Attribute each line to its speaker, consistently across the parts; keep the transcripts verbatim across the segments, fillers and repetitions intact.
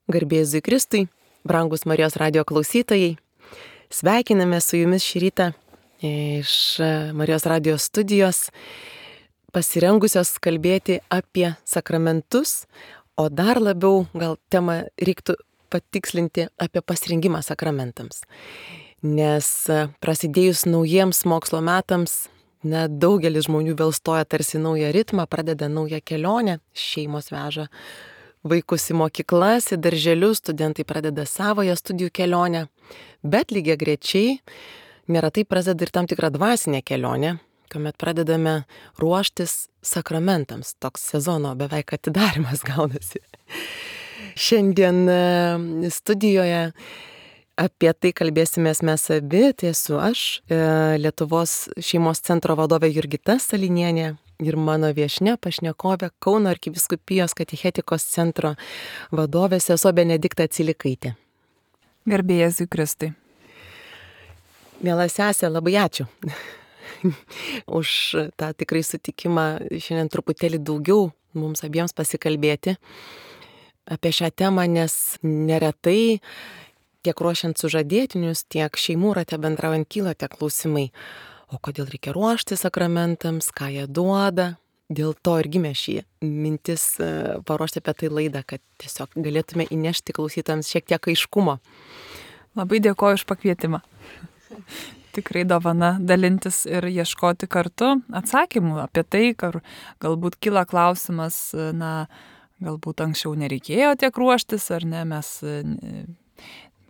Speaker 1: Garbė Jėzui Kristui, brangus Marijos radijo klausytojai, sveikiname su jumis šį rytą iš Marijos radijo studijos, pasirengusios kalbėti apie sakramentus, o dar labiau gal temą reiktų patikslinti apie pasirengimą sakramentams. Nes prasidėjus naujiems mokslo metams, net daugelis žmonių vėl stoja tarsi naują ritmą, pradeda naują kelionę, šeimos veža vaikus į mokyklas, į darželius, studentai pradeda savoją studijų kelionę, bet lygiagrečiai neretai prasideda ir tam tikrą dvasinę kelionę, kuomet pradedame ruoštis sakramentams, toks sezono beveik atidarimas gaunasi. Šiandien studijoje apie tai kalbėsimės mes abi, tai esu aš, Lietuvos šeimos centro vadovė Jurgita Salinienė, ir mano viešnia pašnekovė Kauno arkivyskupijos katechetikos centro vadovė sesuo Benedikta Cilikaitė.
Speaker 2: Garbė Jėzui Kristui.
Speaker 1: Miela sesė, labai ačiū už tą tikrai sutikimą šiandien truputėlį daugiau mums abiems pasikalbėti apie šią temą, nes neretai tiek ruošiant sužadėtinius, tiek šeimų rate bendraujant kyla tie klausimai. O kodėl reikia ruošti sakramentams, ką jie duoda? Dėl to ir gimė šį mintis paruošti apie tai laidą, kad tiesiog galėtume įnešti klausytams šiek tiek aiškumo.
Speaker 2: Labai dėkoju už pakvietimą. Tikrai dovana dalintis ir ieškoti kartu atsakymų apie tai, kad galbūt kyla klausimas, na, galbūt anksčiau nereikėjo tiek ruoštis, ar ne, mes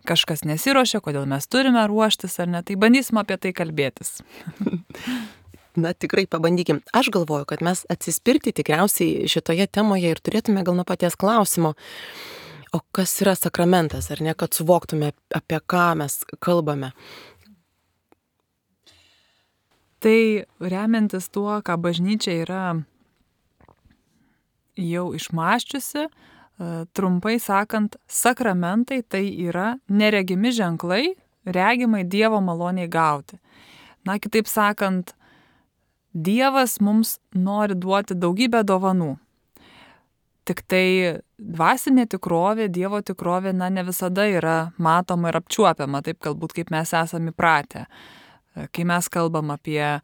Speaker 2: kažkas nesiruošia, kodėl mes turime ruoštis ar ne, tai bandysim apie tai kalbėtis.
Speaker 1: Na, tikrai pabandykim. Aš galvoju, kad mes atsispirti tikriausiai šitoje temoje ir turėtume gal nuo paties klausimo, o kas yra sakramentas, ar ne, kad suvoktume, apie ką mes kalbame.
Speaker 2: Tai remiantis tuo, ką bažnyčia yra jau išmąsčiusi, trumpai sakant, sakramentai tai yra neregimi ženklai, regimai Dievo maloniai gauti. Na, kitaip sakant, Dievas mums nori duoti daugybę dovanų. Tik tai dvasinė tikrovė, Dievo tikrovė, na, ne visada yra matoma ir apčiuopiama, taip galbūt kaip mes esame įpratę. Kai mes kalbam apie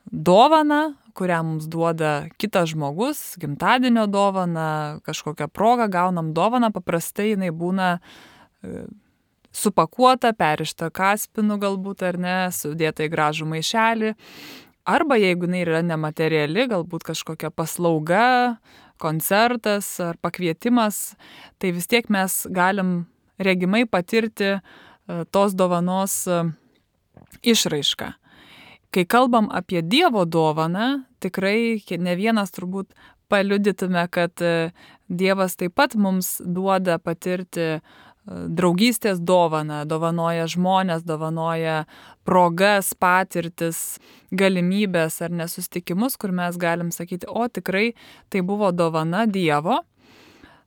Speaker 2: dovaną, kurią mums duoda kitas žmogus, gimtadienio dovaną, kažkokią progą gaunam dovaną, paprastai jinai būna supakuota, perišta kaspinu galbūt ar ne, sudėta į gražų maišelį, arba jeigu jinai yra nemateriali, galbūt kažkokia paslauga, koncertas ar pakvietimas, tai vis tiek mes galim regimai patirti tos dovanos išraišką. Kai kalbam apie Dievo dovaną, tikrai ne vienas turbūt paliudytume, kad Dievas taip pat mums duoda patirti draugystės dovaną, dovanoja žmonės, dovanoja progas, patirtis, galimybės ar nesusitikimus, kur mes galim sakyti, o tikrai tai buvo dovana Dievo,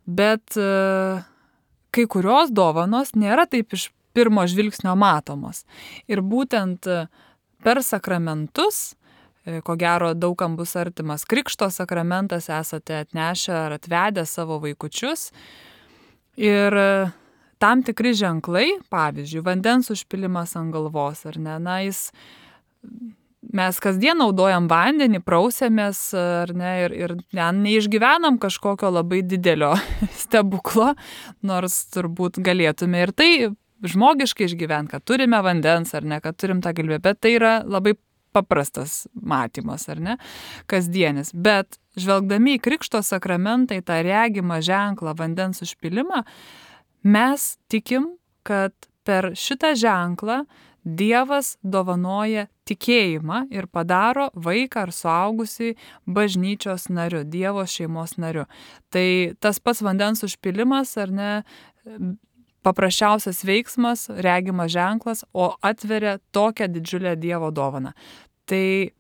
Speaker 2: bet kai kurios dovanos nėra taip iš pirmo žvilgsnio matomos. Ir būtent per sakramentus, ko gero daugam bus artimas krikšto sakramentas, esate atnešę ar atvedę savo vaikučius. Ir tam tikri ženklai, pavyzdžiui, vandens užpilimas ant galvos, ar ne, na, jis, mes kasdien naudojam vandenį, prausiamės, ar ne, ir, ir neišgyvenam kažkokio labai didelio stebuklo, nors turbūt galėtume ir tai žmogiškai išgyventi, kad turime vandens ar ne, kad turim tą galimybę, bet tai yra labai paprastas matymas, ar ne, kasdienis. Bet žvelgdami į krikšto sakramentą, į tą regimą ženklą vandens užpilimą, mes tikim, kad per šitą ženklą Dievas dovanoja tikėjimą ir padaro vaiką ar suaugusį bažnyčios nariu, Dievo šeimos nariu. Tai tas pats vandens užpilimas, ar ne, paprasčiausias veiksmas, regimas ženklas, o atveria tokią didžiulę Dievo dovaną. Tai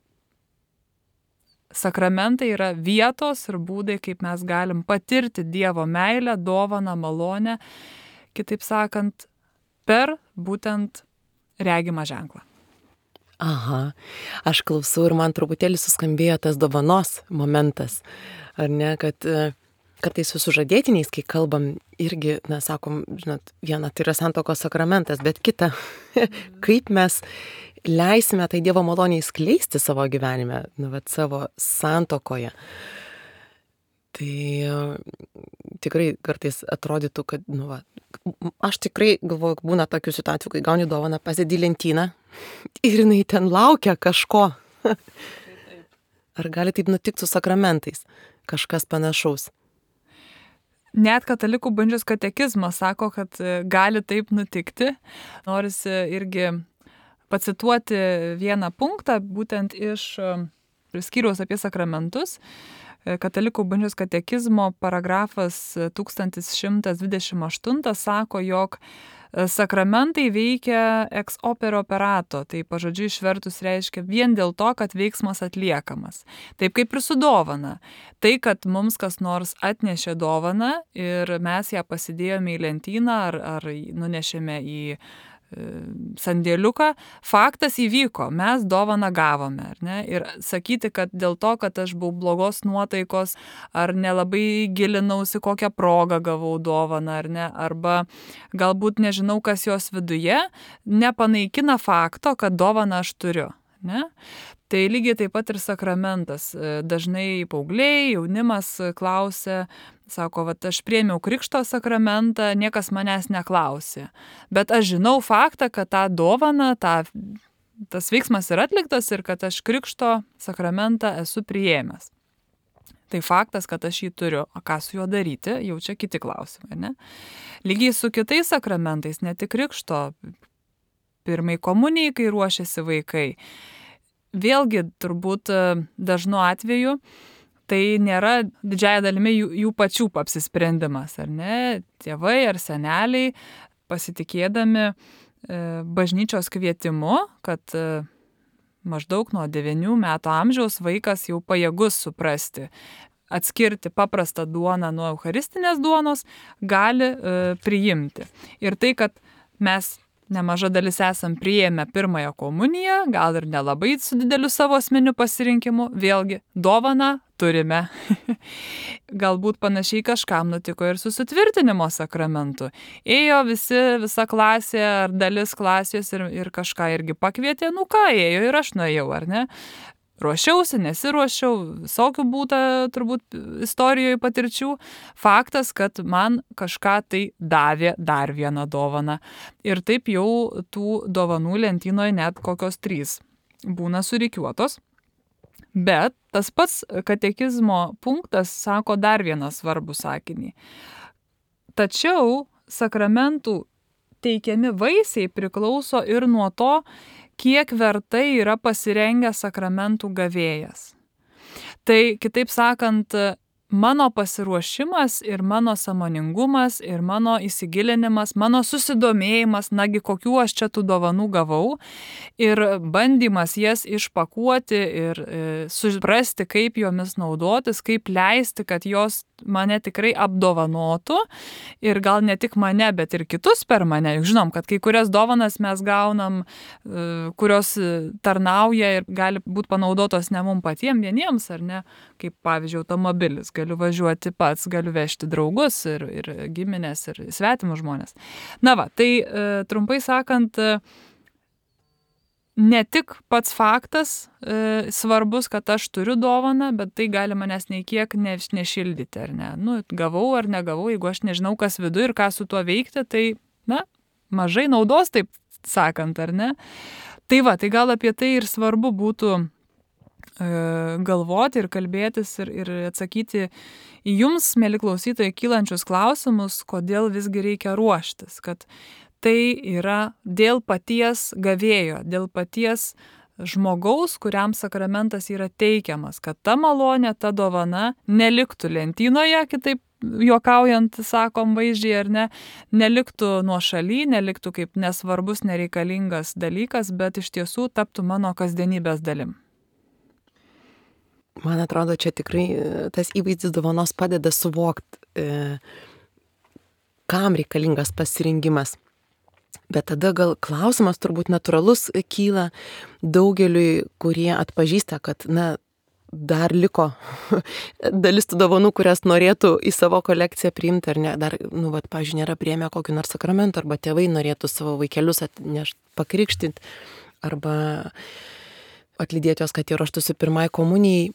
Speaker 2: sakramentai yra vietos ir būdai, kaip mes galim patirti Dievo meilę, dovaną, malonę, kitaip sakant, per būtent regimą ženklą.
Speaker 1: Aha, aš klausau ir man truputėlį suskambėjo tas dovanos momentas, ar ne, kad kartais su sužadėtiniais, kai kalbam, irgi, na, sakom, žinot, viena tai yra santuokos sakramentas, bet kita, kaip mes leisime tai Dievo maloniai skleisti savo gyvenime, nu, bet savo santuokoje. Tai tikrai kartais atrodytų, kad, nu, va, aš tikrai galvoju, būna tokių situacijų, kai gauni dovaną, pasidį lentyną ir jinai ten laukia kažko. Ar gali taip nutikti su sakramentais? Kažkas panašaus.
Speaker 2: Net katalikų bažnyčios katekizmas sako, kad gali taip nutikti. Norisi irgi pacituoti vieną punktą, būtent iš skyriaus apie sakramentus. Katalikų bažnyčios katekizmo paragrafas tūkstantis šimtas dvidešimt aštuoni sako, jog sakramentai veikia ex opere operato, tai pažodžiui išvertus reiškia vien dėl to, kad veiksmas atliekamas. Taip kaip ir su dovana. Tai, kad mums kas nors atnešė dovaną ir mes ją pasidėjome į lentyną ar, ar nunešėme į sandėliuką, faktas įvyko, mes dovaną gavome, ar ne? Ir sakyti, kad dėl to, kad aš buvau blogos nuotaikos, ar nelabai gilinausi, kokią progą gavau dovaną, ar ne, arba galbūt nežinau, kas jos viduje, nepanaikina fakto, kad dovaną aš turiu, ne? Tai lygiai taip pat ir sakramentas. Dažnai paaugliai, jaunimas klausia, sako, vat aš priėmiau krikšto sakramentą, niekas manęs neklausė. Bet aš žinau faktą, kad tą dovaną, tą, tas veiksmas yra atliktas ir kad aš krikšto sakramentą esu priėmęs. Tai faktas, kad aš jį turiu. O ką su juo daryti, jau čia kiti klausimai, ne? Lygiai su kitais sakramentais, ne tik krikšto, pirmai komunijai, kai ruošiasi vaikai. Vėlgi, turbūt dažnu atveju, tai nėra didžiąja dalimi jų, jų pačių apsisprendimas, ar ne? Tėvai ar seneliai pasitikėdami e, bažnyčios kvietimu, kad e, maždaug nuo devynių metų amžiaus vaikas jau pajėgus suprasti, atskirti paprastą duoną nuo eucharistinės duonos, gali e, priimti. Ir tai, kad mes nemaža dalis esam priėmę pirmąją komuniją, gal ir nelabai su dideliu savo asmeniu pasirinkimu, vėlgi dovaną turime. Galbūt panašiai kažkam nutiko ir su sutvirtinimo sakramentu. Ėjo visi, visa klasė ar dalis klasės ir, ir kažką irgi pakvietė, nu ką, ėjo ir aš nuėjau, ar ne? Ruošiausi, nesiruošiau, visokių būta turbūt istorijoje patirčių. Faktas, kad man kažką tai davė dar vieną dovaną. Ir taip jau tų dovanų lentynoje net kokios trys būna surikiuotos. Bet tas pats katekizmo punktas sako dar vieną svarbų sakinį. Tačiau sakramentų teikiami vaisiai priklauso ir nuo to, kiek vertai yra pasirengęs sakramentų gavėjas. Tai, kitaip sakant, mano pasiruošimas ir mano sąmoningumas ir mano įsigilinimas, mano susidomėjimas, nagi kokių aš čia tų dovanų gavau ir bandymas jas išpakuoti ir e, suprasti, kaip jomis naudotis, kaip leisti, kad jos mane tikrai apdovanotų ir gal ne tik mane, bet ir kitus per mane. Juk žinom, kad kai kurias dovanas mes gaunam, kurios tarnauja ir gali būti panaudotos ne mums patiems vieniems, ar ne, kaip pavyzdžiui automobilis. Galiu važiuoti pats, galiu vežti draugus ir, ir giminės ir svetimus žmonės. Na va, tai e, trumpai sakant, e, ne tik pats faktas e, svarbus, kad aš turiu dovaną, bet tai gali manęs nei kiek ne, nešildyti, ar ne. Nu, gavau ar negavau, jeigu aš nežinau, kas vidu ir ką su tuo veikti, tai, na, mažai naudos, taip sakant, ar ne. Tai va, tai gal apie tai ir svarbu būtų e, galvoti ir kalbėtis ir, ir atsakyti į jums, mėly klausytojai, kylančius klausimus, kodėl visgi reikia ruoštis, kad tai yra dėl paties gavėjo, dėl paties žmogaus, kuriam sakramentas yra teikiamas, kad ta malonė, ta dovana neliktų lentynoje, kitaip juokaujant, sakom vaizdžiai ar ne, neliktų nuošaly, neliktų kaip nesvarbus, nereikalingas dalykas, bet iš tiesų taptų mano kasdienybės dalim.
Speaker 1: Man atrodo, čia tikrai tas įvaizdis dovanos padeda suvokti, e, kam reikalingas pasirinkimas. Bet tada gal klausimas turbūt natūralus kyla daugeliui, kurie atpažįsta, kad, na, dar liko dalis tų dovanų, kurias norėtų į savo kolekciją priimti, ar ne, dar, nu, vat, pavyzdžiui, nėra priėmę kokį nors sakramentą, arba tėvai norėtų savo vaikelius atnešti, pakrikštinti, arba atlydėti jos, kad jie ruoštųsi pirmai komunijai.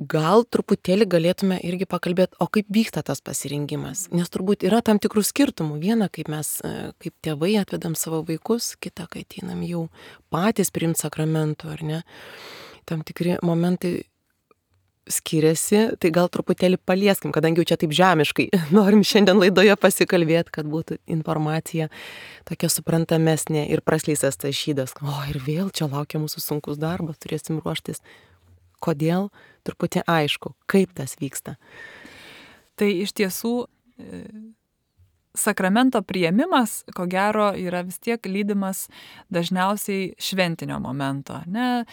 Speaker 1: Gal truputėlį galėtume irgi pakalbėti, o kaip vyksta tas pasirinkimas, nes turbūt yra tam tikrų skirtumų. Viena, kaip mes, kaip tėvai atvedam savo vaikus, kita, kai ateinam jau patys priimti sakramentų, ar ne. Tam tikri momentai skiriasi, tai gal truputėlį palieskim, kadangi jau čia taip žemiškai norim šiandien laidoje pasikalbėti, kad būtų informacija tokia suprantamesnė ir prasleistas tas šydas. O, ir vėl čia laukia mūsų sunkus darbas, turėsim ruoštis. Kodėl? Truputį aišku, kaip tas vyksta.
Speaker 2: Tai iš tiesų sakramento priėmimas, ko gero, yra vis tiek lydimas dažniausiai šventinio momento, ne?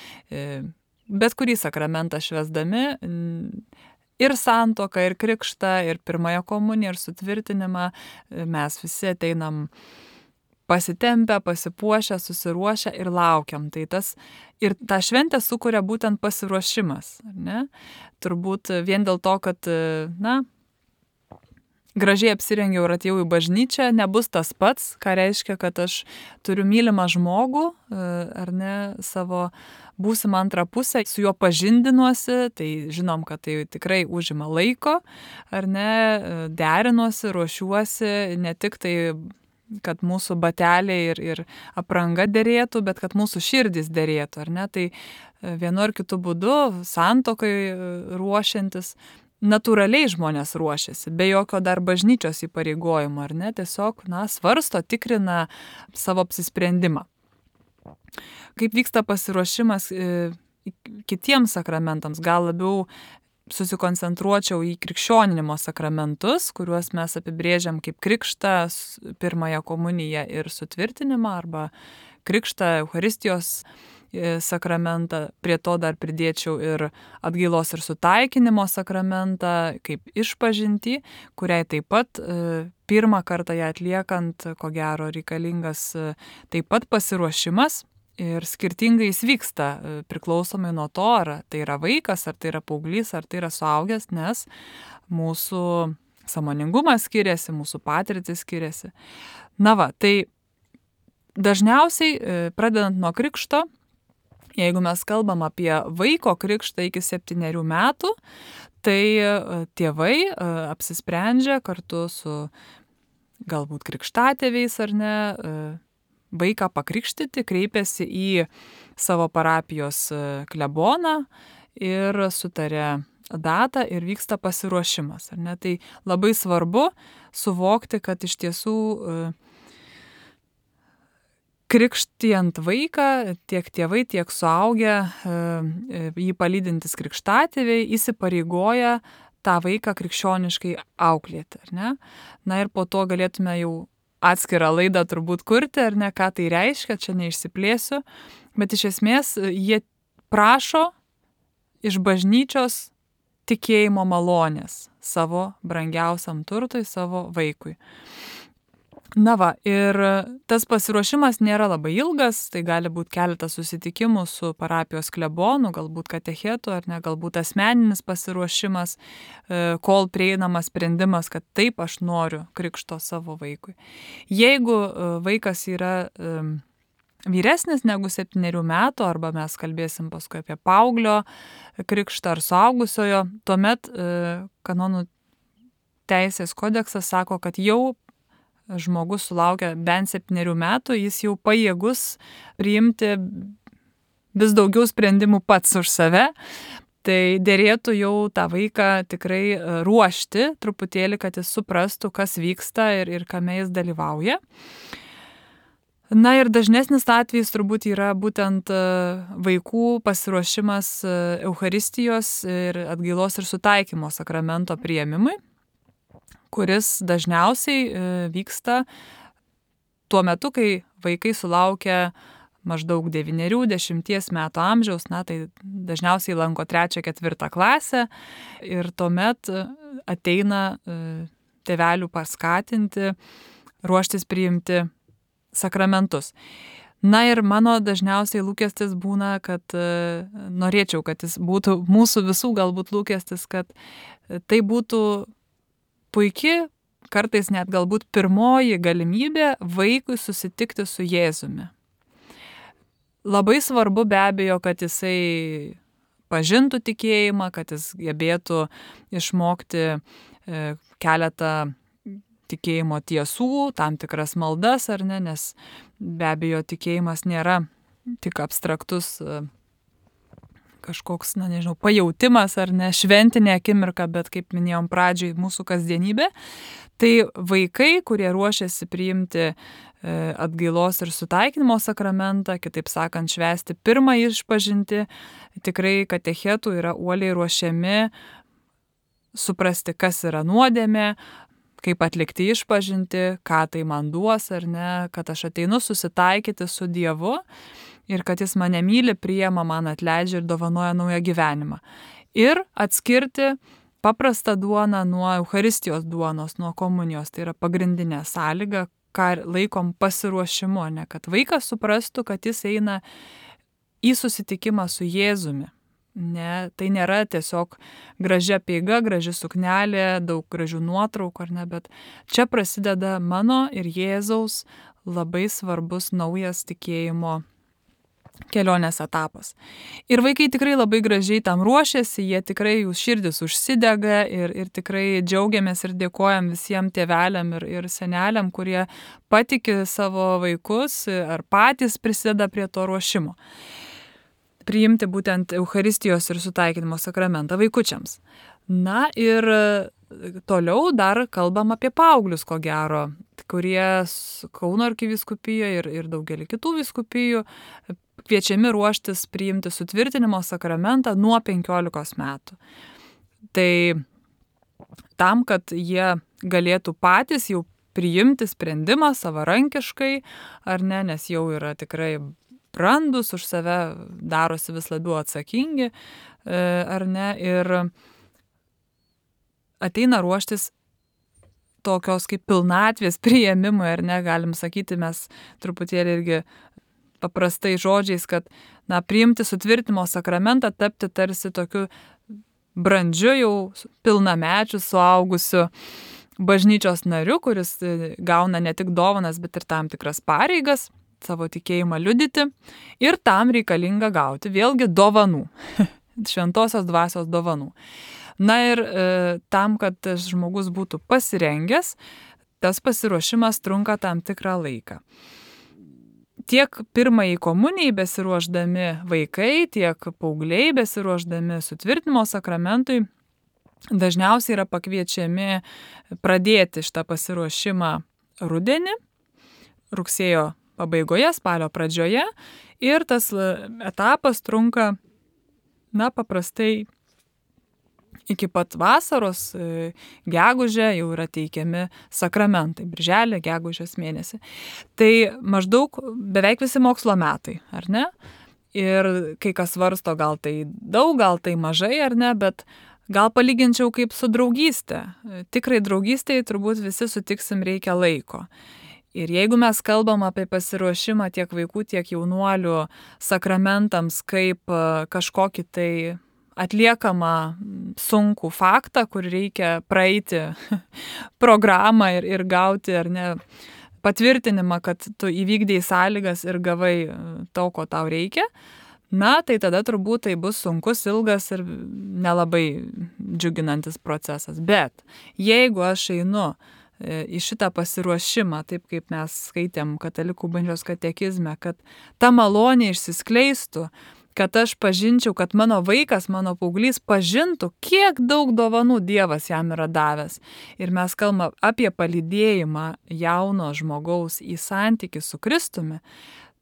Speaker 2: Bet kurį sakramentą švęsdami, ir santuoką, ir krikštą, ir pirmąją komuniją, ir sutvirtinimą, mes visi ateinam pasitempę, pasipuošę, susiruošę ir laukiam. Tai tas, ir tą šventę sukuria būtent pasiruošimas, ne? Turbūt vien dėl to, kad, na, gražiai apsirengiau ir atėjau į bažnyčią, nebus tas pats, ką reiškia, kad aš turiu mylimą žmogų, ar ne, savo būsimą antrą pusę, su juo pažindinuosi, tai žinom, kad tai tikrai užima laiko, ar ne, derinuosi, ruošiuosi, ne tik tai kad mūsų bateliai ir, ir apranga derėtų, bet kad mūsų širdis derėtų, ar ne? Tai vienu ar kitu būdu, santuokai ruošiantis, natūraliai žmonės ruošiasi, be jokio dar bažnyčios įpareigojimo, ar ne? Tiesiog, na, svarsto, tikrina savo apsisprendimą. Kaip vyksta pasiruošimas kitiems sakramentams, gal labiau susikoncentruočiau į krikščioninimo sakramentus, kuriuos mes apibrėžiam kaip krikštą, pirmąją komuniją ir sutvirtinimą, arba krikštą, Eucharistijos sakramentą. Prie to dar pridėčiau ir atgailos ir sutaikinimo sakramentą, kaip išpažintį, kuriai taip pat pirmą kartą ją atliekant, ko gero, reikalingas taip pat pasiruošimas. Ir skirtingai jis vyksta, priklausomai nuo to, ar tai yra vaikas, ar tai yra paauglys, ar tai yra suaugęs, nes mūsų sąmoningumas skiriasi, mūsų patirtis skiriasi. Na va, tai dažniausiai, pradedant nuo krikšto, jeigu mes kalbam apie vaiko krikštą iki septynerių metų, tai tėvai apsisprendžia kartu su galbūt krikštatėviais ar ne, vaiką pakrikštyti, kreipiasi į savo parapijos kleboną ir sutaria datą ir vyksta pasiruošimas. Ar ne? Tai labai svarbu suvokti, kad iš tiesų krikštijant vaiką, tiek tėvai, tiek suaugę, jį palydintys krikštatėviai įsipareigoja tą vaiką krikščioniškai auklėti. Ar ne? Na ir po to galėtume jau atskirą laidą turbūt kurti, ar ne, ką tai reiškia, čia neišsiplėsiu, bet iš esmės jie prašo iš bažnyčios tikėjimo malonės savo brangiausiam turtui, savo vaikui. Na va, ir tas pasiruošimas nėra labai ilgas, tai gali būti keletas susitikimų su parapijos klebonu, galbūt katechetu, ar ne, galbūt asmeninis pasiruošimas, kol prieinamas sprendimas, kad taip aš noriu krikšto savo vaikui. Jeigu vaikas yra vyresnis negu septynerių metų, arba mes kalbėsim paskui apie paauglio krikštą ar suaugusiojo, tuomet kanonų teisės kodeksas sako, kad jau žmogus sulaukia bent septynerių metų, jis jau pajėgus priimti vis daugiau sprendimų pats už save. Tai dėrėtų jau tą vaiką tikrai ruošti truputėlį, kad jis suprastų, kas vyksta ir, ir kame jis dalyvauja. Na ir dažnesnis atvejis turbūt yra būtent vaikų pasiruošimas Eucharistijos ir atgailos ir sutaikymo sakramento priėmimui, kuris dažniausiai vyksta tuo metu, kai vaikai sulaukia maždaug devynerių dešimties metų amžiaus, na tai dažniausiai lanko trečią, ketvirtą klasę ir tuomet ateina tėvelių paskatinti ruoštis priimti sakramentus. Na ir mano dažniausiai lūkestis būna, kad e, norėčiau, kad jis būtų mūsų visų galbūt lūkestis, kad tai būtų puikiai, kartais net galbūt pirmoji galimybė vaikui susitikti su Jėzumi. Labai svarbu be abejo, kad jisai pažintų tikėjimą, kad jis gebėtų išmokti e, keletą tikėjimo tiesų, tam tikras maldas ar ne, nes be abejo tikėjimas nėra tik abstraktus kažkoks, na nežinau, pajautimas ar ne, šventinė akimirka, bet kaip minėjom pradžioj, mūsų kasdienybė. Tai vaikai, kurie ruošiasi priimti atgailos ir sutaikinimo sakramentą, kitaip sakant, švęsti pirmąjį išpažintį, tikrai katechetų yra uoliai ruošiami suprasti, kas yra nuodėmė, kaip atlikti išpažinti, ką tai man duos ar ne, kad aš ateinu susitaikyti su Dievu ir kad jis mane myli, priima, man atleidžia ir dovanoja naują gyvenimą. Ir atskirti paprastą duoną nuo Eucharistijos duonos, nuo komunijos. Tai yra pagrindinė sąlyga, ką laikom pasiruošimu, ne, kad vaikas suprastų, kad jis eina į susitikimą su Jėzumi. Ne, tai nėra tiesiog graži apeiga, graži suknelė, daug gražių nuotraukų, ar ne, bet čia prasideda mano ir Jėzaus labai svarbus naujas tikėjimo kelionės etapas. Ir vaikai tikrai labai gražiai tam ruošiasi, jie tikrai jų širdis užsidega ir, ir tikrai džiaugiamės ir dėkojam visiems tėveliam ir, ir seneliam, kurie patiki savo vaikus ar patys prisideda prie to ruošimo. Priimti būtent Eucharistijos ir sutaikinimo sakramentą vaikučiams. Na ir toliau dar kalbam apie paauglius, ko gero, kurie Kauno arkivyskupijoje ir, ir daugelį kitų vyskupijų kviečiami ruoštis priimti sutvirtinimo sakramentą nuo penkiolikos metų. Tai tam, kad jie galėtų patys jau priimti sprendimą savarankiškai, ar ne, nes jau yra tikrai brandus, už save darosi vis labiau atsakingi, ar ne, ir ateina ruoštis tokios kaip pilnatvės priėmimui, ar ne, galim sakyti mes truputėlį irgi paprastai žodžiais, kad, na, priimti sutvirtinimo sakramentą, tapti tarsi tokiu brandžiu jau pilnamečiu, suaugusiu bažnyčios nariu, kuris gauna ne tik dovanas, bet ir tam tikras pareigas, savo tikėjimą liudyti, ir tam reikalinga gauti vėlgi dovanų, šventosios dvasios dovanų. Na ir e, tam, kad žmogus būtų pasirengęs, tas pasiruošimas trunka tam tikrą laiką. Tiek pirmąjį komunijai besiruošdami vaikai, tiek paaugliai besiruošdami sutvirtinimo sakramentui, dažniausiai yra pakviečiami pradėti šitą pasiruošimą rudenį, rugsėjo pabaigoje, spalio pradžioje, ir tas etapas trunka, na, paprastai iki pat vasaros, gegužę jau yra teikiami sakramentai, birželį, gegužės mėnesį. Tai maždaug beveik visi mokslo metai, ar ne? Ir kai kas svarsto, gal tai daug, gal tai mažai, ar ne, bet gal palyginčiau kaip su draugystė. Tikrai draugystėje turbūt visi sutiksim reikia laiko. Ir jeigu mes kalbam apie pasiruošimą tiek vaikų, tiek jaunuolių sakramentams kaip kažkokį tai atliekamą sunkų faktą, kur reikia praeiti programą ir, ir gauti, ar ne, patvirtinimą, kad tu įvykdėjai sąlygas ir gavai to, ko tau reikia, na, tai tada turbūt tai bus sunkus, ilgas ir nelabai džiuginantis procesas. Bet jeigu aš einu į šitą pasiruošimą, taip kaip mes skaitėm katalikų bažnyčios katekizme, kad ta malonė išsiskleistų, kad aš pažinčiau, kad mano vaikas, mano paauglys pažintų, kiek daug dovanų Dievas jam yra davęs. Ir mes kalbame apie palydėjimą jauno žmogaus į santykį su Kristumi,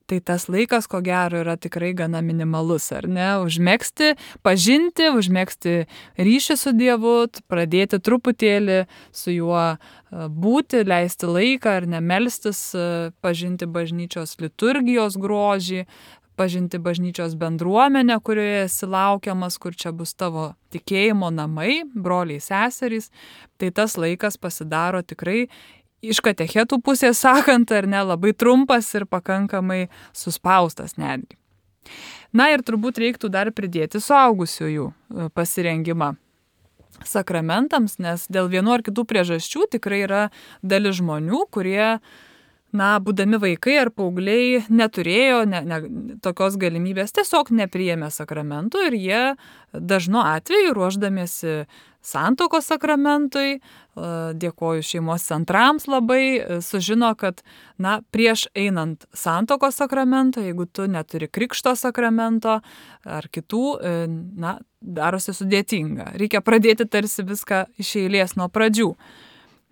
Speaker 2: tai tas laikas, ko gero, yra tikrai gana minimalus, ar ne? Užmegzti, pažinti, užmegzti ryšį su Dievu, pradėti truputėlį su juo būti, leisti laiką, ar ne, melstis, pažinti bažnyčios liturgijos grožį, pažinti bažnyčios bendruomenę, kurioje esi laukiamas, kur čia bus tavo tikėjimo namai, broliai, seserys. Tai tas laikas pasidaro tikrai iš katechetų pusės sakant, ar ne, labai trumpas ir pakankamai suspaustas netgi. Na ir turbūt reiktų dar pridėti suaugusiųjų pasirengimą sakramentams, nes dėl vienų ar kitų priežasčių tikrai yra dalis žmonių, kurie, na, būdami vaikai ar paaugliai neturėjo ne, ne, tokios galimybės, tiesiog nepriėmė sakramentų ir jie dažnu atveju ruošdamiesi santuokos sakramentui, dėkoju šeimos centrams labai, sužino, kad, na, prieš einant santuokos sakramento, jeigu tu neturi krikšto sakramento ar kitų, na, darosi sudėtinga. Reikia pradėti tarsi viską iš eilės nuo pradžių.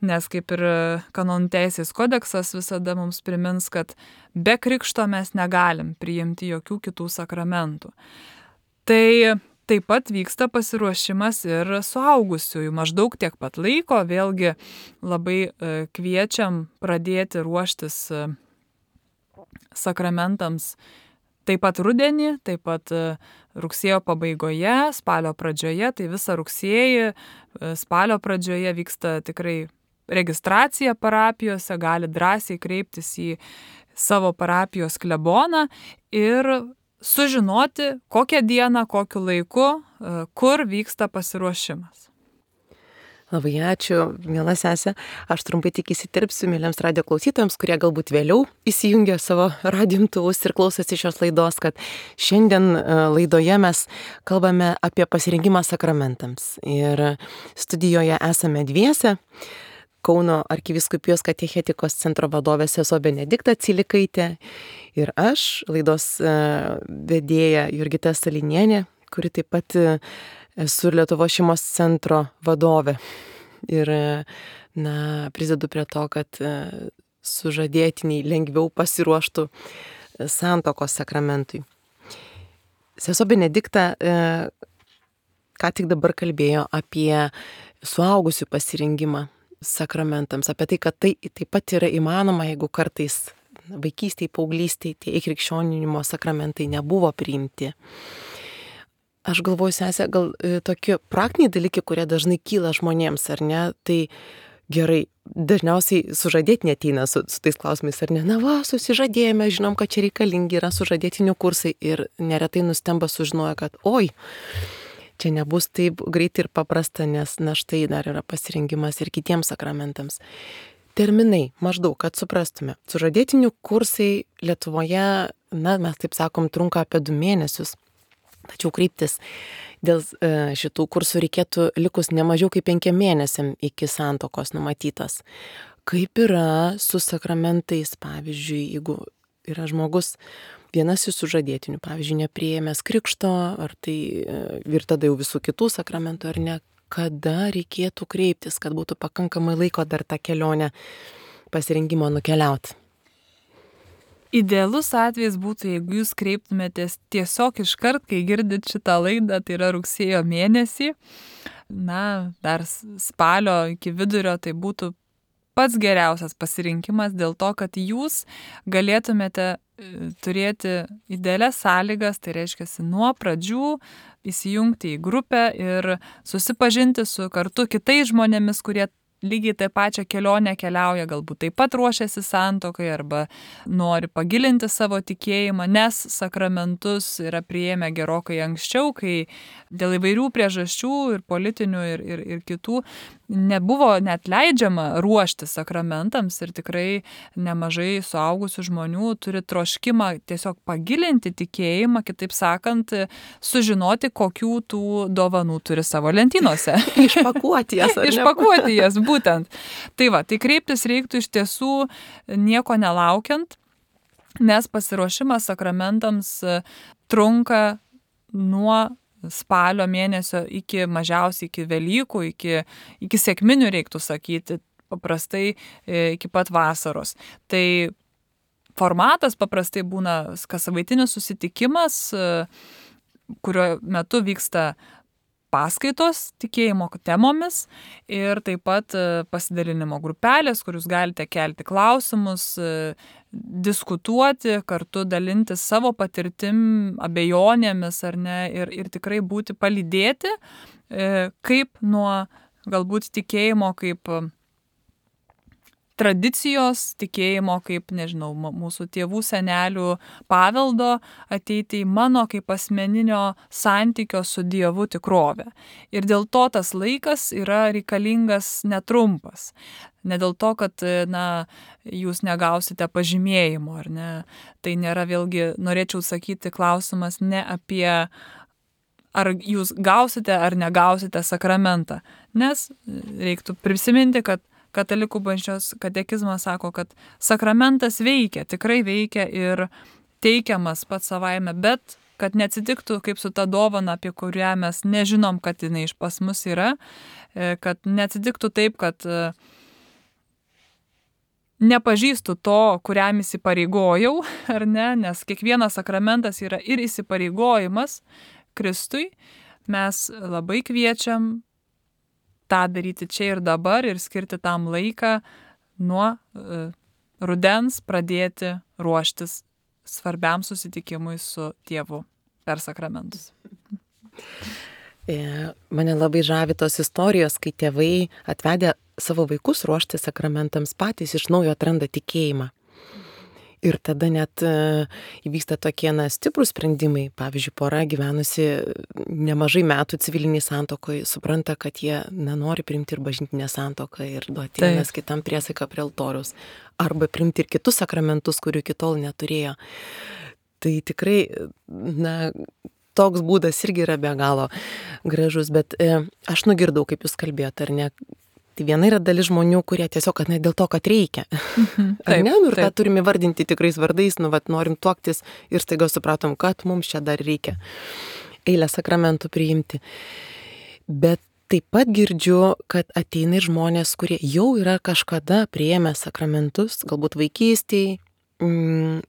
Speaker 2: Nes kaip ir kanonų teisės kodeksas visada mums primins, kad be krikšto mes negalim priimti jokių kitų sakramentų. Tai taip pat vyksta pasiruošimas ir suaugusiųjų maždaug tiek pat laiko, vėlgi labai kviečiam pradėti ruoštis sakramentams taip pat rudenį, taip pat rugsėjo pabaigoje, spalio pradžioje, tai visą rugsėjį, spalio pradžioje vyksta tikrai registracija parapijose, gali drąsiai kreiptis į savo parapijos kleboną ir sužinoti, kokią dieną, kokiu laiku, kur vyksta pasiruošimas.
Speaker 1: Labai ačiū, miela sesė. Aš trumpai tik įsiterpsiu mėlyms radio klausytojams, kurie galbūt vėliau įsijungia savo radijo imtuvus ir klausosi šios laidos, kad šiandien laidoje mes kalbame apie pasirengimą sakramentams. Ir studijoje esame dviese. Kauno arkivyskupijos katechetikos centro vadovė sesuo Benedikta Cilikaitė ir aš, laidos vedėja Jurgita Salinienė, kuri taip pat esu Lietuvos šeimos centro vadovė. Ir, na, pridedu prie to, kad sužadėtiniai lengviau pasiruoštų santuokos sakramentui. Sesuo Benedikta ką tik dabar kalbėjo apie suaugusių pasirengimą sakramentams, apie tai, kad tai taip pat yra įmanoma, jeigu kartais vaikystėje, paauglystėje tie įkrikščioninimo sakramentai nebuvo priimti. Aš galvoju, sesė, gal e, tokie praktiniai dalykai, kurie dažnai kyla žmonėms, ar ne, tai gerai, dažniausiai sužadėtiniai ateina su, su tais klausimais, ar ne, na va, susižadėjome, žinom, kad čia reikalingi yra sužadėtinių kursai ir neretai nustemba sužinoja, kad oi, čia nebus taip greitai ir paprasta, nes na štai dar yra pasirengimas ir kitiems sakramentams. Terminai, maždaug, kad suprastume. Sužadėtinių kursai Lietuvoje, na, mes taip sakom, trunka apie du mėnesius. Tačiau kreiptis dėl šitų kursų reikėtų likus ne mažiau kaip penkiem mėnesiam iki santuokos numatytas. Kaip yra su sakramentais, pavyzdžiui, jeigu yra žmogus vienas iš sužadėtinių, pavyzdžiui, nepriėmęs krikšto, ar tai ir tada jau visų kitų sakramentų, ar ne, kada reikėtų kreiptis, kad būtų pakankamai laiko dar tą kelionę pasirengimo nukeliauti.
Speaker 2: Idealus atvejis būtų, jeigu jūs kreiptumėtės tiesiog iškart, kai girdit šitą laidą, tai yra rugsėjo mėnesį, na, dar spalio iki vidurio, tai būtų pats geriausias pasirinkimas dėl to, kad jūs galėtumėte turėti idealias sąlygas, tai reiškia nuo pradžių įsijungti į grupę ir susipažinti su kartu kitais žmonėmis, kurie lygiai tą pačią kelionę keliauja, galbūt taip pat ruošiasi santuokai arba nori pagilinti savo tikėjimą, nes sakramentus yra priėmę gerokai anksčiau, kai dėl įvairių priežasčių ir politinių ir, ir, ir kitų nebuvo net leidžiama ruošti sakramentams ir tikrai nemažai suaugusių žmonių turi troškimą tiesiog pagilinti tikėjimą, kitaip sakant, sužinoti, kokių tų dovanų turi savo lentynose.
Speaker 1: Išpakuoti jas.
Speaker 2: Išpakuoti jas, būtent. Tai va, tai kreiptis reiktų iš tiesų nieko nelaukiant, nes pasiruošimas sakramentams trunka nuo spalio mėnesio iki mažiausiai iki Velykų, iki, iki sekminių reiktų sakyti, paprastai iki pat vasaros. Tai formatas paprastai būna kassavaitinis susitikimas, kurio metu vyksta paskaitos tikėjimo temomis ir taip pat pasidalinimo grupelės, kur jūs galite kelti klausimus, diskutuoti, kartu dalintis savo patirtim, abejonėmis ar ne, ir, ir tikrai būti palydėti, kaip nuo galbūt tikėjimo kaip tradicijos tikėjimo, kaip, nežinau, mūsų tėvų, senelių paveldo ateiti į mano kaip asmeninio santykio su Dievu tikrovę. Ir dėl to tas laikas yra reikalingas netrumpas. Ne dėl to, kad, na, jūs negausite pažymėjimo, ar ne. Tai nėra, vėlgi, norėčiau sakyti, klausimas ne apie ar jūs gausite ar negausite sakramentą. Nes reiktų prisiminti, kad Katalikų bažnyčios katekizmas sako, kad sakramentas veikia, tikrai veikia ir teikiamas pats savaime, bet kad neatsitiktų kaip su ta dovana, apie kurią mes nežinom, kad jinai iš pas mus yra, kad neatsitiktų taip, kad nepažįstu to, kuriam įsipareigojau, ar ne, nes kiekvienas sakramentas yra ir įsipareigojimas Kristui, mes labai kviečiam tą daryti čia ir dabar ir skirti tam laiką nuo uh, rudens pradėti ruoštis svarbiam susitikimui su Dievu per sakramentus.
Speaker 1: Mane labai žavi tos istorijos, kai tėvai atvedę savo vaikus ruošti sakramentams patys iš naujo atranda tikėjimą. Ir tada net įvyksta tokie, na, stiprūs sprendimai. Pavyzdžiui, pora gyvenusi nemažai metų civiliniai santuokoje supranta, kad jie nenori priimti ir bažnytinę santuoką ir duoti vienas kitam priesaiką prie altoriaus. Arba priimti ir kitus sakramentus, kurių iki tol neturėjo. Tai tikrai, na, toks būdas irgi yra be galo gražus. Bet e, aš nugirdau, kaip jūs kalbėjote, ar ne? Tai viena yra dalis žmonių, kurie tiesiog, kad ne dėl to, kad reikia. Mhm, taip, ar ne? Nu, ir tą turim įvardinti tikrais vardais, nu, vat, norim tuoktis ir staiga supratom, kad mums čia dar reikia eilę sakramentų priimti. Bet taip pat girdžiu, kad ateina ir žmonės, kurie jau yra kažkada priėmę sakramentus, galbūt vaikystėj, mm,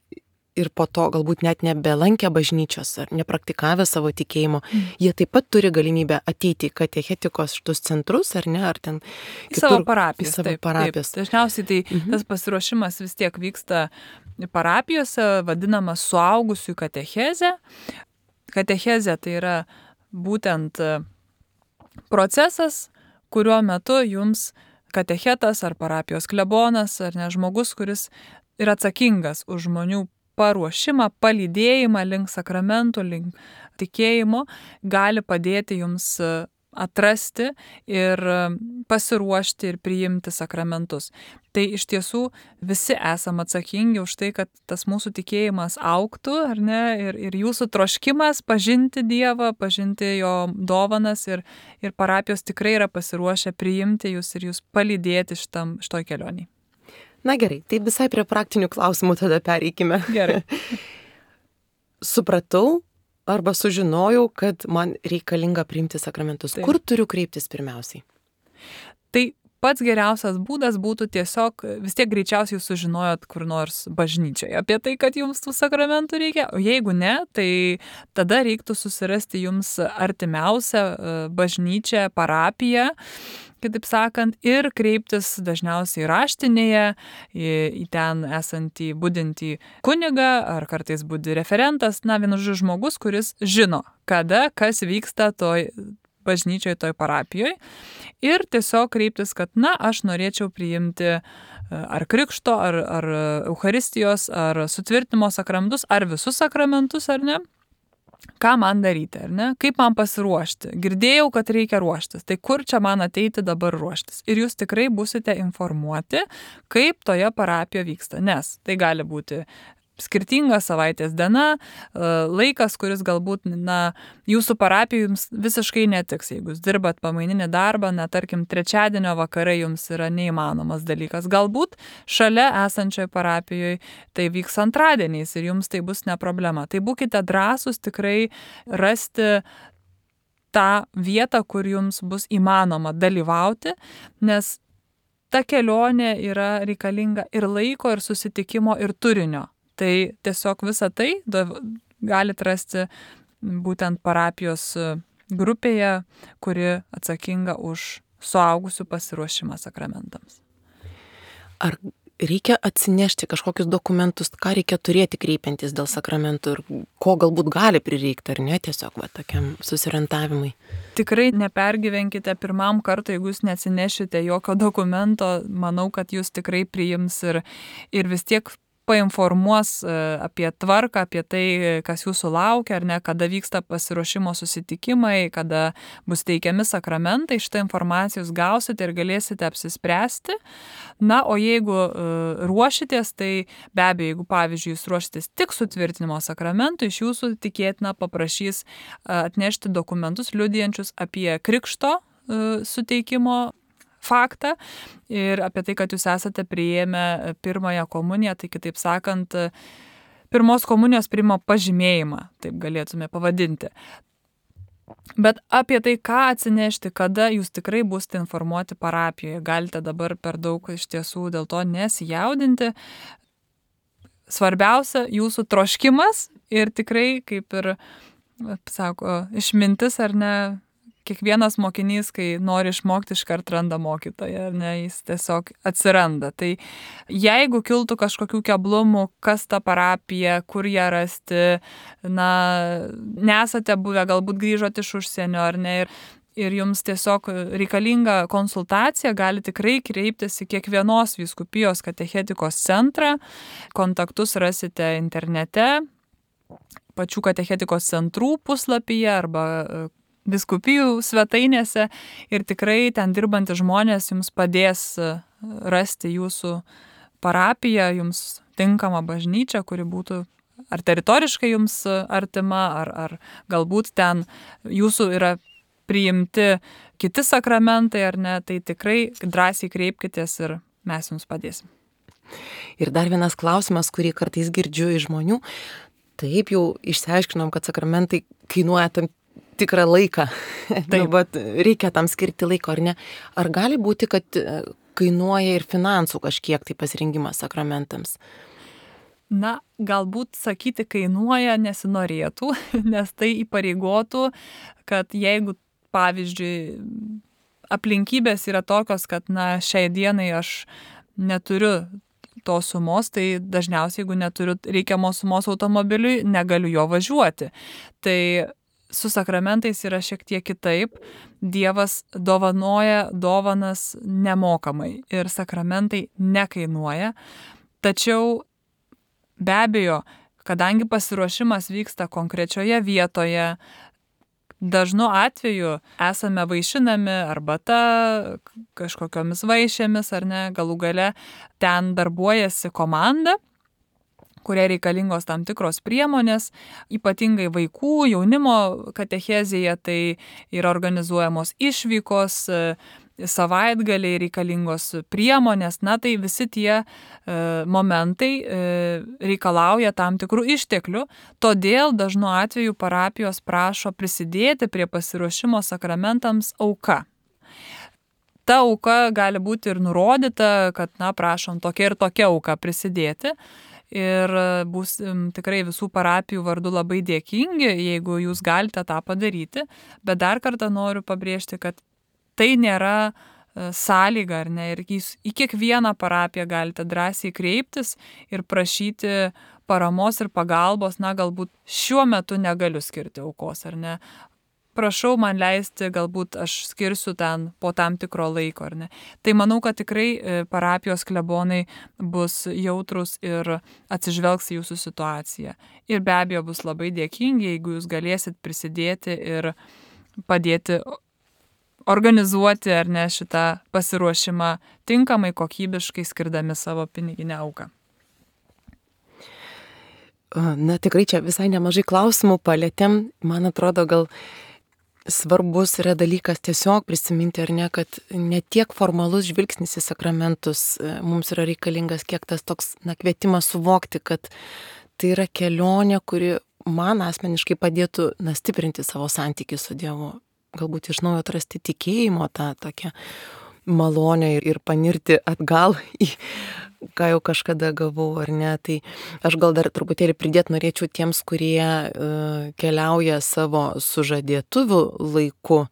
Speaker 1: ir po to galbūt net nebelankę bažnyčios ar nepraktikavę savo tikėjimo, mm. jie taip pat turi galimybę ateiti į katechetikos šitus centrus, ar ne, ar ten
Speaker 2: kitur. Į savo parapijas.
Speaker 1: Į savo
Speaker 2: taip,
Speaker 1: parapijas.
Speaker 2: Taip. Dažniausiai tai mm-hmm. tas pasiruošimas vis tiek vyksta parapijose, vadinamas suaugusių katechezė. Katechezė tai yra būtent procesas, kuriuo metu jums katechetas ar parapijos klebonas, ar ne žmogus, kuris yra atsakingas už žmonių paruošimą, palydėjimą link sakramentų, link tikėjimo, gali padėti jums atrasti ir pasiruošti ir priimti sakramentus. Tai iš tiesų visi esam atsakingi už tai, kad tas mūsų tikėjimas augtų, ar ne, ir, ir jūsų troškimas pažinti Dievą, pažinti jo dovanas ir, ir parapijos tikrai yra pasiruošę priimti jūs ir jūs palydėti šitam, šitoj kelionėj.
Speaker 1: Na gerai, tai visai prie praktinių klausimų tada pereikime.
Speaker 2: Gerai.
Speaker 1: Supratau arba sužinojau, kad man reikalinga priimti sakramentus. Taip. Kur turiu kreiptis pirmiausiai?
Speaker 2: Tai pats geriausias būdas būtų tiesiog, vis tiek greičiausiai jūs sužinojot kur nors bažnyčioje apie tai, kad jums tų sakramentų reikia. O jeigu ne, tai tada reiktų susirasti jums artimiausią bažnyčią, parapiją, kitaip sakant, ir kreiptis dažniausiai raštinėje, į, į ten esantį budintį kunigą, ar kartais budi referentas, na, vienu žodžiu žmogus, kuris žino, kada, kas vyksta toj bažnyčioje, toj parapijoje, ir tiesiog kreiptis, kad, na, aš norėčiau priimti ar krikšto, ar, ar eucharistijos, ar sutvirtinimo sakramentus, ar visus sakramentus, ar ne. Ką man daryti, ar ne? Kaip man pasiruošti? Girdėjau, kad reikia ruoštis. Tai kur čia man ateiti dabar ruoštis? Ir jūs tikrai busite informuoti, kaip toje parapijoje vyksta. Nes tai gali būti skirtinga savaitės diena, laikas, kuris galbūt, na, jūsų parapijai jums visiškai netiks. Jeigu jūs dirbat pamaininį darbą, na, tarkim, trečiadienio vakarai jums yra neįmanomas dalykas. Galbūt šalia esančioje parapijoje tai vyks antradieniais ir jums tai bus ne problema. Tai būkite drąsūs tikrai rasti tą vietą, kur jums bus įmanoma dalyvauti, nes ta kelionė yra reikalinga ir laiko, ir susitikimo, ir turinio. Tai tiesiog visą tai galite rasti būtent parapijos grupėje, kuri atsakinga už suaugusių pasiruošimą sakramentams.
Speaker 1: Ar reikia atsinešti kažkokius dokumentus, ką reikia turėti kreipiantis dėl sakramentų ir ko galbūt gali prireikti, ar ne, tiesiog va, tokiam susirientavimui.
Speaker 2: Tikrai nepergyvenkite pirmam kartui, jeigu jūs neatsinešite jokio dokumento, manau, kad jūs tikrai priims ir, ir vis tiek painformuos apie tvarką, apie tai, kas jūsų laukia, ar ne, kada vyksta pasiruošimo susitikimai, kada bus teikiami sakramentai, šitą informaciją jūs gausite ir galėsite apsispręsti. Na, o jeigu ruošitės, tai be abejo, jeigu pavyzdžiui jūs ruošitės tik sutvirtinimo sakramentų, iš jūsų tikėtina paprašys atnešti dokumentus liudijančius apie krikšto suteikimo faktą ir apie tai, kad jūs esate priėmę pirmąją komuniją, tai kitaip sakant, pirmos komunijos priimo pažymėjimą, taip galėtume pavadinti. Bet apie tai, ką atsinešti, kada jūs tikrai būsite informuoti parapijoje, galite dabar per daug iš tiesų dėl to nesijaudinti. Svarbiausia jūsų troškimas ir tikrai, kaip ir, sako, išmintis ar ne, kiekvienas mokinys, kai nori išmokti, iškart randa mokytoją, ne, jis tiesiog atsiranda. Tai jeigu kiltų kažkokių keblumų, kas ta parapija, kur ją rasti, na, nesate buvę, galbūt grįžote iš užsienio ar ne, ir, ir jums tiesiog reikalinga konsultacija, gali tikrai kreiptis į kiekvienos vyskupijos katechetikos centrą, kontaktus rasite internete, pačių katechetikos centrų puslapyje arba vyskupijų svetainėse ir tikrai ten dirbantys žmonės jums padės rasti jūsų parapiją, jums tinkamą bažnyčią, kuri būtų ar teritoriškai jums artima, ar, ar galbūt ten jūsų yra priimti kiti sakramentai, ar ne, tai tikrai drąsiai kreipkitės ir mes jums padėsim.
Speaker 1: Ir dar vienas klausimas, kurį kartais girdžiu iš žmonių. Taip jau išsiaiškinom, kad sakramentai kainuoja tam tikrą laiką, nu, bet reikia tam skirti laiko, ar ne? Ar gali būti, kad kainuoja ir finansų kažkiek tai pasirengimas sakramentams?
Speaker 2: Na, galbūt sakyti kainuoja nesinorėtų, nes tai įpareigotų, kad jeigu, pavyzdžiui, aplinkybės yra tokios, kad, na, šiai dienai aš neturiu tos sumos, tai dažniausiai, jeigu neturiu reikiamos sumos automobiliui, negaliu jo važiuoti. Tai su sakramentais yra šiek tiek kitaip. Dievas dovanoja dovanas nemokamai ir sakramentai nekainuoja. Tačiau be abejo, kadangi pasiruošimas vyksta konkrečioje vietoje, dažnu atveju esame vaišinami arbata, kažkokiomis vaišėmis ar ne, galų gale ten darbuojasi komanda, kurie reikalingos tam tikros priemonės, ypatingai vaikų, jaunimo katechezėje, tai yra organizuojamos išvykos, savaitgaliai, reikalingos priemonės, na tai visi tie e, momentai e, reikalauja tam tikrų išteklių, todėl dažnu atveju parapijos prašo prisidėti prie pasiruošimo sakramentams auka. Ta auka gali būti ir nurodyta, kad, na, prašom tokia ir tokia auka prisidėti. Ir bus tikrai visų parapijų vardu labai dėkingi, jeigu jūs galite tą padaryti. Bet dar kartą noriu pabrėžti, kad tai nėra sąlyga, ar ne? Ir jūs į kiekvieną parapiją galite drąsiai kreiptis ir prašyti paramos ir pagalbos. Na, galbūt šiuo metu negaliu skirti aukos, ar ne? Prašau man leisti, galbūt aš skirsiu ten po tam tikro laiko, ar ne. Tai manau, kad tikrai parapijos klebonai bus jautrus ir atsižvelgs į jūsų situaciją. Ir be abejo bus labai dėkingi, jeigu jūs galėsit prisidėti ir padėti organizuoti, ar ne, šitą pasiruošimą tinkamai, kokybiškai, skirdami savo piniginę auką.
Speaker 1: Na, tikrai čia visai nemažai klausimų palėtėm. Man atrodo, gal svarbus yra dalykas tiesiog prisiminti, ar ne, kad ne tiek formalus žvilgsnis į sakramentus mums yra reikalingas, kiek tas toks, na, kvietimas suvokti, kad tai yra kelionė, kuri man asmeniškai padėtų, na, stiprinti savo santykį su Dievu, galbūt iš naujo atrasti tikėjimo tą tokią malonę ir, ir panirti atgal į ką jau kažkada gavau, ar ne. Tai aš gal dar truputėlį pridėti norėčiau tiems, kurie uh, keliauja savo sužadėtuvių laiku,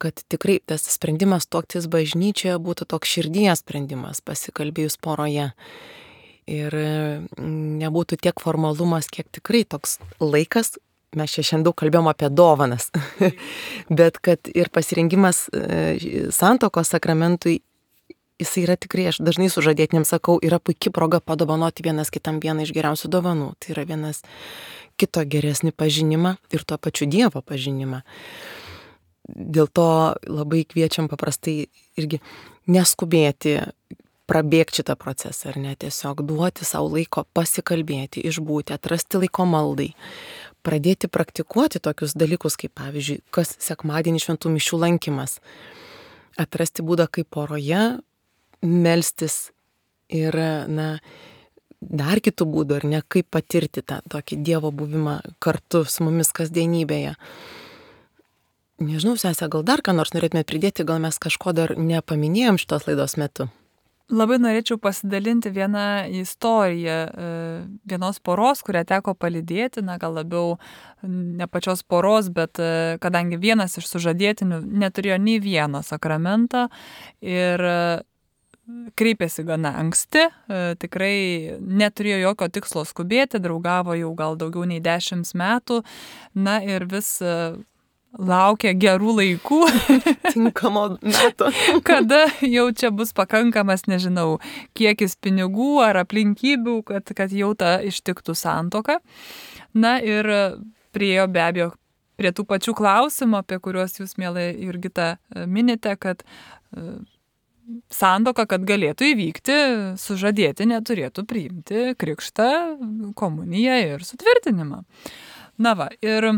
Speaker 1: kad tikrai tas sprendimas tuoktis bažnyčioje būtų toks širdies sprendimas, pasikalbėjus poroje. Ir nebūtų tiek formalumas, kiek tikrai toks laikas, mes čia šiandien daug kalbėjom apie dovanas, bet kad ir pasirengimas santuokos sakramentui, jis yra tikrai, aš dažnai sužadėtiniam sakau, yra puikia proga padovanoti vienas kitam vieną iš geriausių dovanų. Tai yra vienas kito geresnį pažinimą ir tuo pačiu Dievo pažinimą. Dėl to labai kviečiam paprastai irgi neskubėti, prabėgti šitą procesą, ar ne, tiesiog duoti savo laiko pasikalbėti, išbūti, atrasti laiko maldai, pradėti praktikuoti tokius dalykus, kaip pavyzdžiui, kas sekmadienį šventų mišių lankymas, atrasti būdą kaip poroje melstis ir, na, dar kitų būdų, ar ne, kaip patirti tą tokį Dievo buvimą kartu su mumis kasdienybėje. Nežinau, sesė, gal dar ką nors norėtume pridėti, gal mes kažko dar nepaminėjom šitos laidos metu.
Speaker 2: Labai norėčiau pasidalinti vieną istoriją vienos poros, kurią teko palydėti, na gal labiau ne pačios poros, bet kadangi vienas iš sužadėtinių neturėjo nei vieno sakramento ir kreipėsi gana anksti, tikrai neturėjo jokio tikslo skubėti, draugavo jau gal daugiau nei dešimt metų, na ir vis laukia gerų laikų,
Speaker 1: tinkamo meto,
Speaker 2: kada jau čia bus pakankamas, nežinau, kiekis pinigų ar aplinkybių, kad, kad jau ta ištiktų santuoka. Na ir priėjo be abejo prie tų pačių klausimų, apie kuriuos jūs, mielai Jurgita, minite, kad santuoka, kad galėtų įvykti, sužadėti neturėtų priimti krikštą, komuniją ir sutvirtinimą. Na va, ir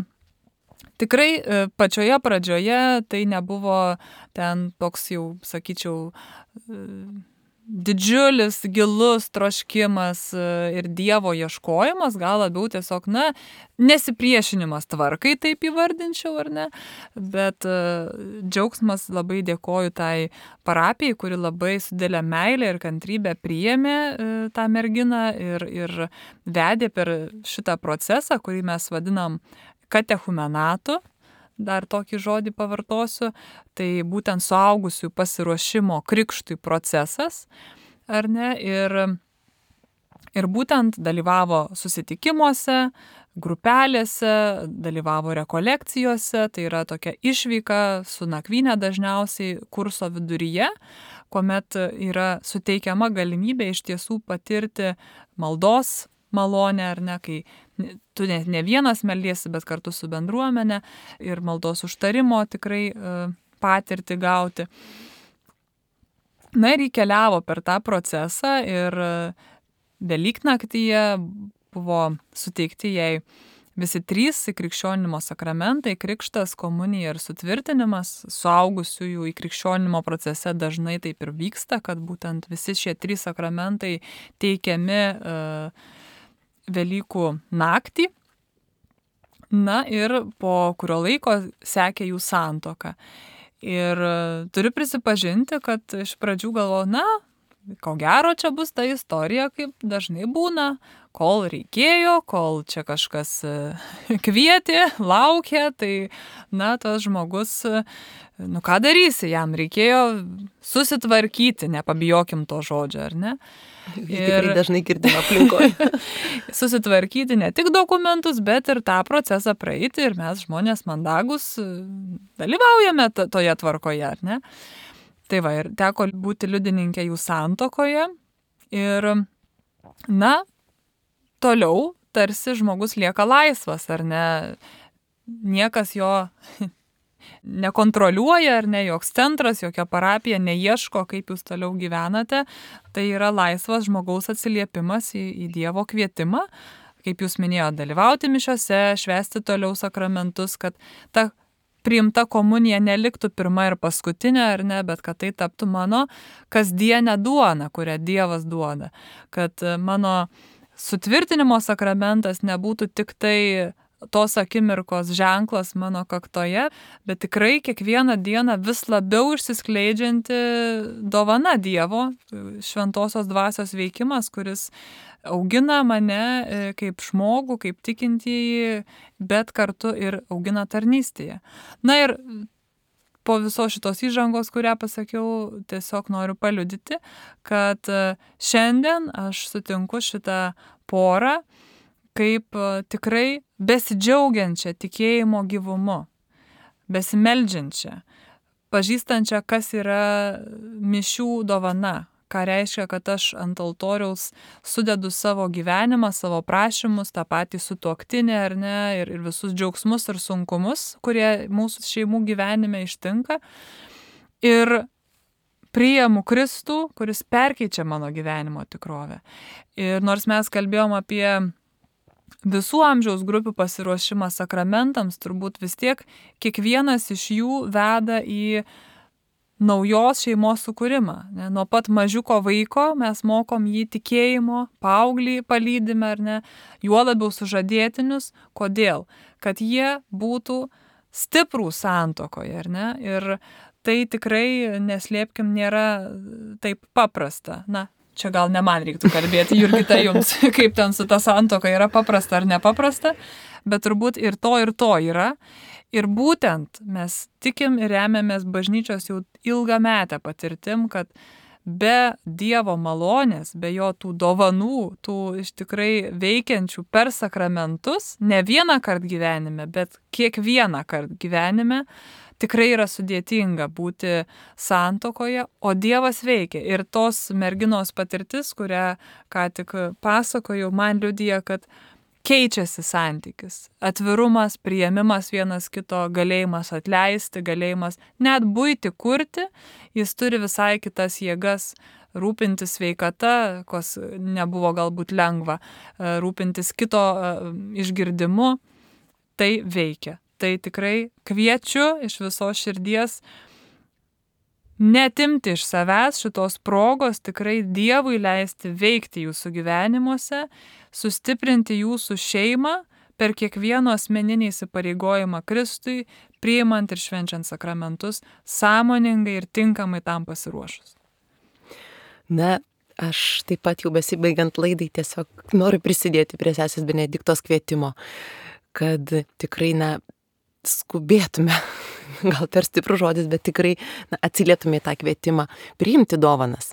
Speaker 2: tikrai pačioje pradžioje tai nebuvo ten toks jau, sakyčiau, didžiulis, gilus troškimas ir Dievo ieškojimas, gal labiau tiesiog, na, nesipriešinimas tvarkai, taip įvardinčiau, ar ne, bet džiaugsmas, labai dėkoju tai parapijai, kuri labai su didelė meilė ir kantrybė priėmė tą merginą ir, ir vedė per šitą procesą, kurį mes vadinam katechumenatu, dar tokį žodį pavartosiu, tai būtent suaugusių pasiruošimo krikštui procesas, ar ne, ir, ir būtent dalyvavo susitikimuose, grupelėse, dalyvavo rekolekcijose, tai yra tokia išvyka su nakvyne dažniausiai kurso viduryje, kuomet yra suteikiama galimybė iš tiesų patirti maldos malonę, ar ne, kai tu ne, ne vienas meldiesi, bet kartu su bendruomenė ir maldos užtarimo tikrai e, patirtį gauti. Na ir jį keliavo per tą procesą ir Velyknaktyje buvo suteikti jai visi trys įkrikščionimo sakramentai, krikštas, komunija ir sutvirtinimas. Suaugusiųjų įkrikščionimo procese dažnai taip ir vyksta, kad būtent visi šie trys sakramentai teikiami e, Velykų naktį. Na ir po kurio laiko sekė jų santuoka. Ir turiu prisipažinti, kad iš pradžių galvoju, na, ko gero čia bus ta istorija, kaip dažnai būna, kol reikėjo, kol čia kažkas kvietė, laukė, tai, na, tas žmogus, nu ką darysi, jam reikėjo susitvarkyti, nepabijokim to žodžio, ar ne?
Speaker 1: Ir tikrai dažnai girdime aplinkoje.
Speaker 2: Susitvarkyti ne tik dokumentus, bet ir tą procesą praeiti ir mes žmonės mandagus dalyvaujame toje tvarkoje, ar ne? Tai va, ir teko būti liudininkė jų santuokoje ir, na, toliau tarsi žmogus lieka laisvas, ar ne? Niekas jo nekontroliuoja, ar ne, joks centras, jokia parapija neieško, kaip jūs toliau gyvenate. Tai yra laisvas žmogaus atsiliepimas į, į Dievo kvietimą, kaip jūs minėjote, dalyvauti mišiose, švęsti toliau sakramentus, kad ta priimta komunija neliktų pirma ir paskutinė, ar ne, bet kad tai taptų mano kasdienė duona, kurią Dievas duoda. Kad mano sutvirtinimo sakramentas nebūtų tik tai tos akimirkos ženklas mano kaktoje, bet tikrai kiekvieną dieną vis labiau išsiskleidžianti dovana Dievo, šventosios dvasios veikimas, kuris augina mane kaip žmogų, kaip tikintįjį, bet kartu ir augina tarnystėje. Na ir po visos šitos įžangos, kurią pasakiau, tiesiog noriu paliudyti, kad šiandien aš sutinku šitą porą kaip tikrai besidžiaugiančią tikėjimo gyvumu, besimeldžiančią, pažįstančią, kas yra mišių dovana, ką reiškia, kad aš ant altoriaus sudedu savo gyvenimą, savo prašymus, tą patį sutuoktinį ar ne, ir, ir visus džiaugsmus ir sunkumus, kurie mūsų šeimų gyvenime ištinka. Ir priimu Kristų, kuris perkeičia mano gyvenimo tikrovę. Ir nors mes kalbėjom apie visų amžiaus grupių pasiruošimą sakramentams, turbūt vis tiek kiekvienas iš jų veda į naujos šeimos sukūrimą. Ne? Nuo pat mažiuko vaiko mes mokom jį tikėjimo, paauglį palydime, ar ne, juo labiau sužadėtinius. Kodėl? Kad jie būtų stiprų santuokoje, ar ne? Ir tai tikrai, neslėpkim, nėra taip paprasta. Na, čia gal ne man reiktų kalbėti, Jurgita, jums, kaip ten su ta santuoka yra paprasta ar nepaprasta, bet turbūt ir to, ir to yra. Ir būtent mes tikim ir remiamės bažnyčios jau ilgametę patirtim, kad be Dievo malonės, be jo tų dovanų, tų iš tikrai veikiančių per sakramentus, ne vieną kartą gyvenime, bet kiekvieną kartą gyvenime, tikrai yra sudėtinga būti santuokoje, o Dievas veikia. Ir tos merginos patirtis, kurią ką tik pasakojau, man liudija, kad keičiasi santykis. Atvirumas, priėmimas vienas kito, galėjimas atleisti, galėjimas net buitį kurti, jis turi visai kitas jėgas, rūpintis sveikata, kas nebuvo galbūt lengva, rūpintis kito išgirdimu, tai veikia. Tai tikrai kviečiu iš visos širdies netimti iš savęs šitos progos, tikrai Dievui leisti veikti jūsų gyvenimuose, sustiprinti jūsų šeimą per kiekvieno asmeninį įsipareigojimą Kristui, priimant ir švenčiant sakramentus, sąmoningai ir tinkamai tam pasiruošus.
Speaker 1: Na, aš taip pat jau besibaigiant laidai tiesiog noriu prisidėti prie sesės Benediktos kvietimo, kad tikrai, na, skubėtume, gal per stiprus žodis, bet tikrai na, atsilietume į tą kvietimą, priimti dovanas.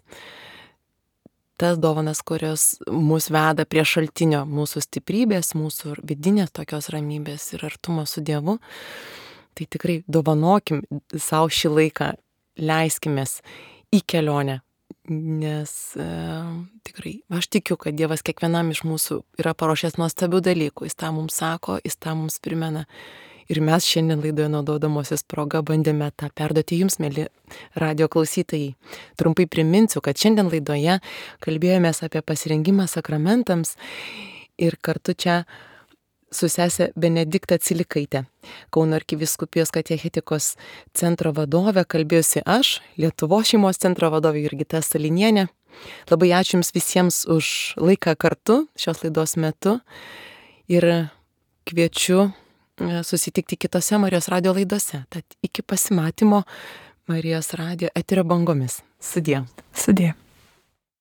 Speaker 1: Tas dovanas, kurios mus veda prie šaltinio mūsų stiprybės, mūsų vidinės tokios ramybės ir artumo su Dievu, tai tikrai dovanokim savo šį laiką, leiskimės į kelionę, nes e, tikrai aš tikiu, kad Dievas kiekvienam iš mūsų yra paruošęs nuostabių dalykų, jis tą mums sako, jis tą mums primena. Ir mes šiandien laidoje naudodamosios progą bandėme tą perduoti jums, mėly radio klausytojai. Trumpai priminsiu, kad šiandien laidoje kalbėjomės apie pasirengimą sakramentams ir kartu čia su sese Benedikta Cilikaitė, Kauno arkivyskupijos katechetikos centro vadovė, kalbėjusi aš, Lietuvos šeimos centro vadovė Jurgita Salinienė. Labai ačiū jums visiems už laiką kartu šios laidos metu ir kviečiu susitikti kitose Marijos radio laidose. Tad iki pasimatymo Marijos radio eterio bangomis. Sudie.
Speaker 2: Sudie.